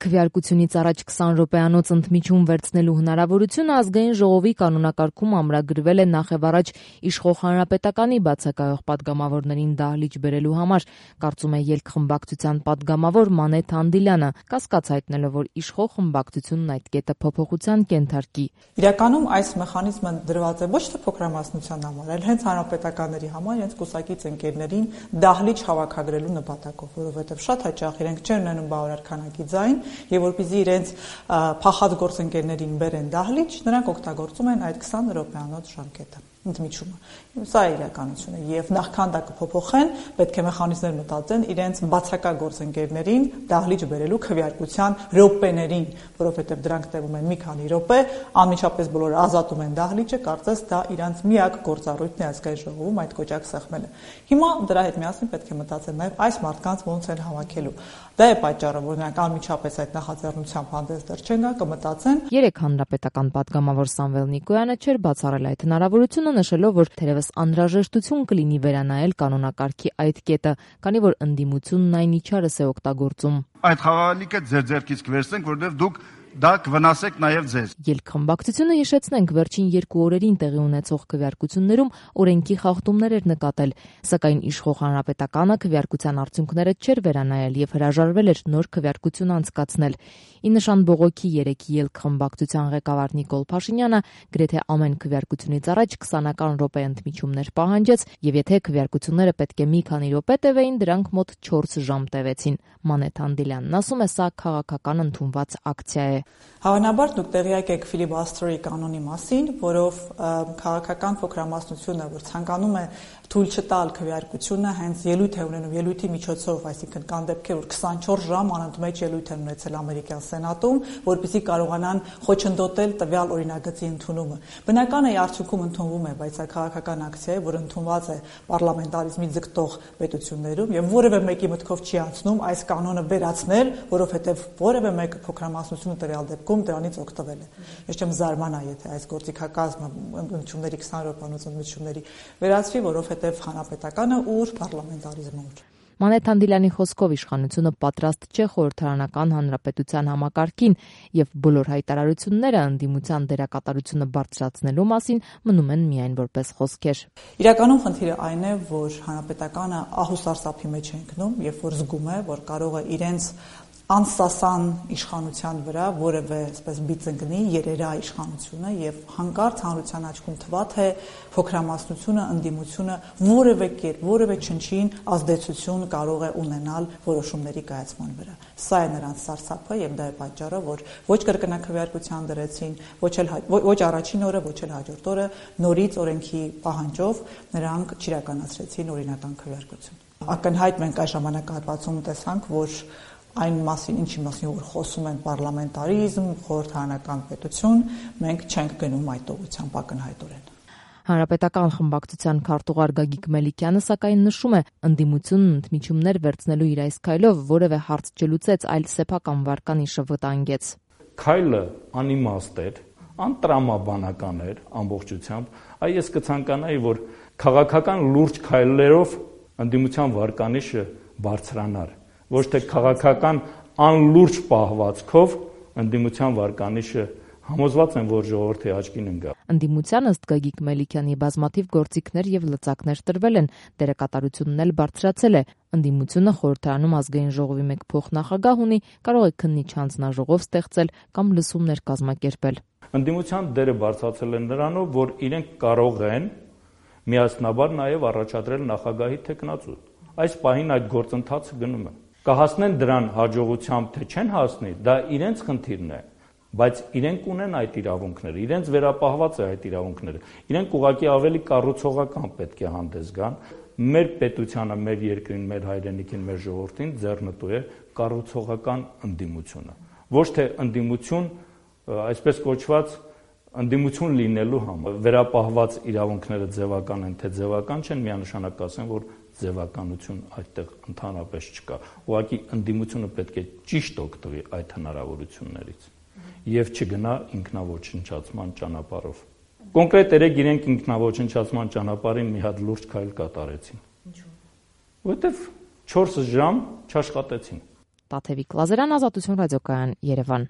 Քվեարկությունից առաջ 20 րոպեանոց ընդմիջում վերցնելու հնարավորությունը ազգային ժողովի կանոնակարգում ամրագրվել է նախևառաջ իշխող հանրապետականի բացակայող պատգամավորներին դահլիճ բերելու համար, կարծում է ելք խմբակցության պատգամավոր Մանեթ Անդիլյանը, կասկած հայտնելով, որ իշխող խմբակցությունն այդ կետը փոփոխության կենթարկի։ Իրականում այս մեխանիզմը դրված է ոչ թե փոքրամասնության համար, այլ հենց հանրապետականների համար, հենց կուսակից ընկերներին դահլիճ հավաքագրելու նպատակով, որովհետև շատ հաճախ իրենք չեն ունենում բավարար քանակի ձայն, եւ որպեսզի իրենց փախած գործընկերներին բերեն դահլիճ, նրանք օգտագործում են այդ 20 րոպեանոց ժամկետը, ընդմիջումը։ Սա է իրականությունը եւ նախքան դա կփոփոխեն, պետք է մեխանիզմներ մտածեն իրենց բացակա գործընկերներին դահլիճ բերելու քվեարկության րոպեներին, որովհետեւ դրանք տևում են մի քանի րոպե, անմիջապես բոլորը ազատում են դահլիճը, կարծես դա իրանց միակ գործառույթն է ազգային ժողովում այդ կոճակ սեղմելը։ Հիմա դրա հետ միասին պետք է մտածել նաեւ այս մարդկանց ոնց են հավաքելու։ Դա է պատճառը, որ նրանք անմիջապես այդ նախաձեռնությամբ հանդես դեռ չեն գա, կմտածեն։ Երեք հանրապետական պատգամավոր Սամվել Նիկոյանը չէր բացառել այդ հնարավորությունը, նշելով, որ թերևս անհրաժեշտություն կլինի վերանայել կանոնակարգի այդ կետը, քանի որ ընդդիմությունն այն իջարս է օգտագործում։ Այդ խաղալիքը ձեր ձեռքից կվերցնենք, որովհետև դուք դա կվնասեք նաև ձեզ։ Ելք խմբակցությունը, հիշեցնենք, վերջին 2 օրերին տեղի ունեցող քվեարկություններում օրենքի խախտումներ էր նկատել, սակայն իշխող հանրապետականը քվեարկության արդյունքները չէր վերանայել եւ հրաժարվել էր նոր քվեարկություն անցկացնել։ Ի նշան բողոքի 3 ելք խմբակցության ղեկավար Նիկոլ Փաշինյանը գրեթե ամեն քվեարկությունից առաջ 20-ական րոպե ընդմիջումներ պահանջեց եւ եթե քվեարկությունները պետք է մի քանի րոպե տևեին, դրանք մոտ 4 ժամ տևեցին։ Մանեթ Անդիլյանն ասում է, սա քաղաքական ընդունված ակցիա է։ Հավանաբար դուք տեղյակ եք ֆիլիբաստրի կանոնի մասին, որով քաղաքական փոքրամասնությունը, որ ցանկանում է թույլ չտալ քվեարկությունը, հենց ելույթ է ունենում ելույթի միջոցով, այսինքն կան դեպքեր, որ 24 ժամ անընդմեջ ելույթ են ունեցել ամերիկյան սենատում, որպեսզի կարողանան խոչընդոտել տվյալ օրինագծի ընդունումը։ Բնական է արդյունքում ընդունվում է, բայց սա քաղաքական ակցիա է, որ ընդունված է պարլամենտարիզմի ձգտող պետություններում եւ որևէ մեկի մտքով չի անցնում այս կանոնը վերացնել, որովհետեւ որևէ մեկ փոքրամասնությունը տվյալ դեպքում դրանից օգտվել է։ Ես չեմ զարմանա, եթե այս գործիքակազմը ընդմիջումների 20 րոպեանոց ընդմիջումների վերացվի, որովհետեւ հանրապետականը ուր պարլամենտարիզմը ուր։ Մանեթ Անդիլյանի խոսքով իշխանությունը պատրաստ չէ խորհրդարանական հանրապետության համակարգին եւ բոլոր հայտարարությունները ընդդիմության դերակատարությունը բարձրացնելու մասին մնում են միայն որպես խոսքեր։ Իրականում խնդիրը այն է, որ հանրապետականը ահուսարսափի մեջ է ընկնում, երբ որ զգում է, որ կարող է իրենց անսասան իշխանության վրա որևէ այսպես բիծ ընկնի երերա իշխանությունը եւ հանկարծ հանրության աչքում թվա թե փոքրամասնությունը, ընդդիմությունը որևէ կերպ, որևէ չնչին ազդեցություն կարող է ունենալ որոշումների կայացման վրա։ Սա է նրանց սարսափը եւ դա է պատճառը, որ ոչ կրկնակվեարկության դրեցին, ոչ առաջին օրը, ոչ էլ հաջորդ օրը նորից օրենքի պահանջով նրանք չիրականացրեցին օրինական քվեարկություն։ Ակնհայտ մենք այս ժամանակահատվածում տեսանք, որ այն մասին, ինչի մասին որ խոսում են պարլամենտարիզմ, խորհրդարանական պետություն, մենք չենք գնում այդ ուղղությամբ ակնհայտորեն։ Հանրապետական խմբակցության քարտուղար Գագիկ Մելիքյանը սակայն նշում է, ընդդիմությունն ընդմիջումներ վերցնելու իր այս քայլով որևէ հարց չլուծեց, այլ սեփական վարկանիշը վտանգեց։ Քայլը անիմաստ էր, անտրամաբանական էր ամբողջությամբ, այ ես կցանկանայի, որ քաղաքական լուրջ քայլերով ընդդիմության վարկանիշը բարձրանար, ոչ թե քաղաքական անլուրջ պահվածքով ընդդիմության վարկանիշը համոզված են, որ ժողովրդի աչքին ընկա։ Ընդդիմության ըստ Գագիկ Մելիքյանի բազմաթիվ գործիքներ եւ լծակներ տրվել են, դերակատարությունն էլ բարձրացել է։ Ընդդիմությունը խորհրդարանում ազգային ժողովի մեկ փոխնախագահ ունի, կարող է քննիչ հանձնաժողով ստեղծել կամ լսումներ կազմակերպել։ Ընդդիմության դերը բարձրացել է նրանով, որ իրենք կարող են միասնաբար նաեւ առաջադրել նախագահի թեկնածու։ Այս պահին այդ գործընթացը գնում է։ Կհասնեն դրան հաջողությամբ, թե չեն հասնի, դա իրենց խնդիրն է, բայց իրենք ունեն այդ իրավունքները, իրենց վերապահված է այդ իրավունքները։ Իրենք ուղղակի ավելի կառուցողական պետք է հանդես գան։ Մեր պետությանը, մեր երկրին, մեր հայրենիքին, մեր ժողովրդին ձեռնտու է կառուցողական ընդդիմությունը։ Ոչ թե ընդդիմություն, այսպես կոչված, ընդդիմություն լինելու համար։ Վերապահված իրավունքները ձևական են, թե ձևական չեն, միանշանակ ասեն, որ ձևականություն այդտեղ ընդհանրապես չկա։ Ուղղակի ընդդիմությունը պետք է ճիշտ օգտվի այդ հնարավորություններից եւ չգնա ինքնաոչնչացման ճանապարհով։ Կոնկրետ երեք իրենք ինքնաոչնչացման ճանապարհին մի հատ լուրջ քայլ կատարեցին։ Ինչու՞։ Որտեվ 4 ժամ չաշխատեցին։ Տաթևիկ Լազարյան, Ազատություն ռադիոկայան, Երևան։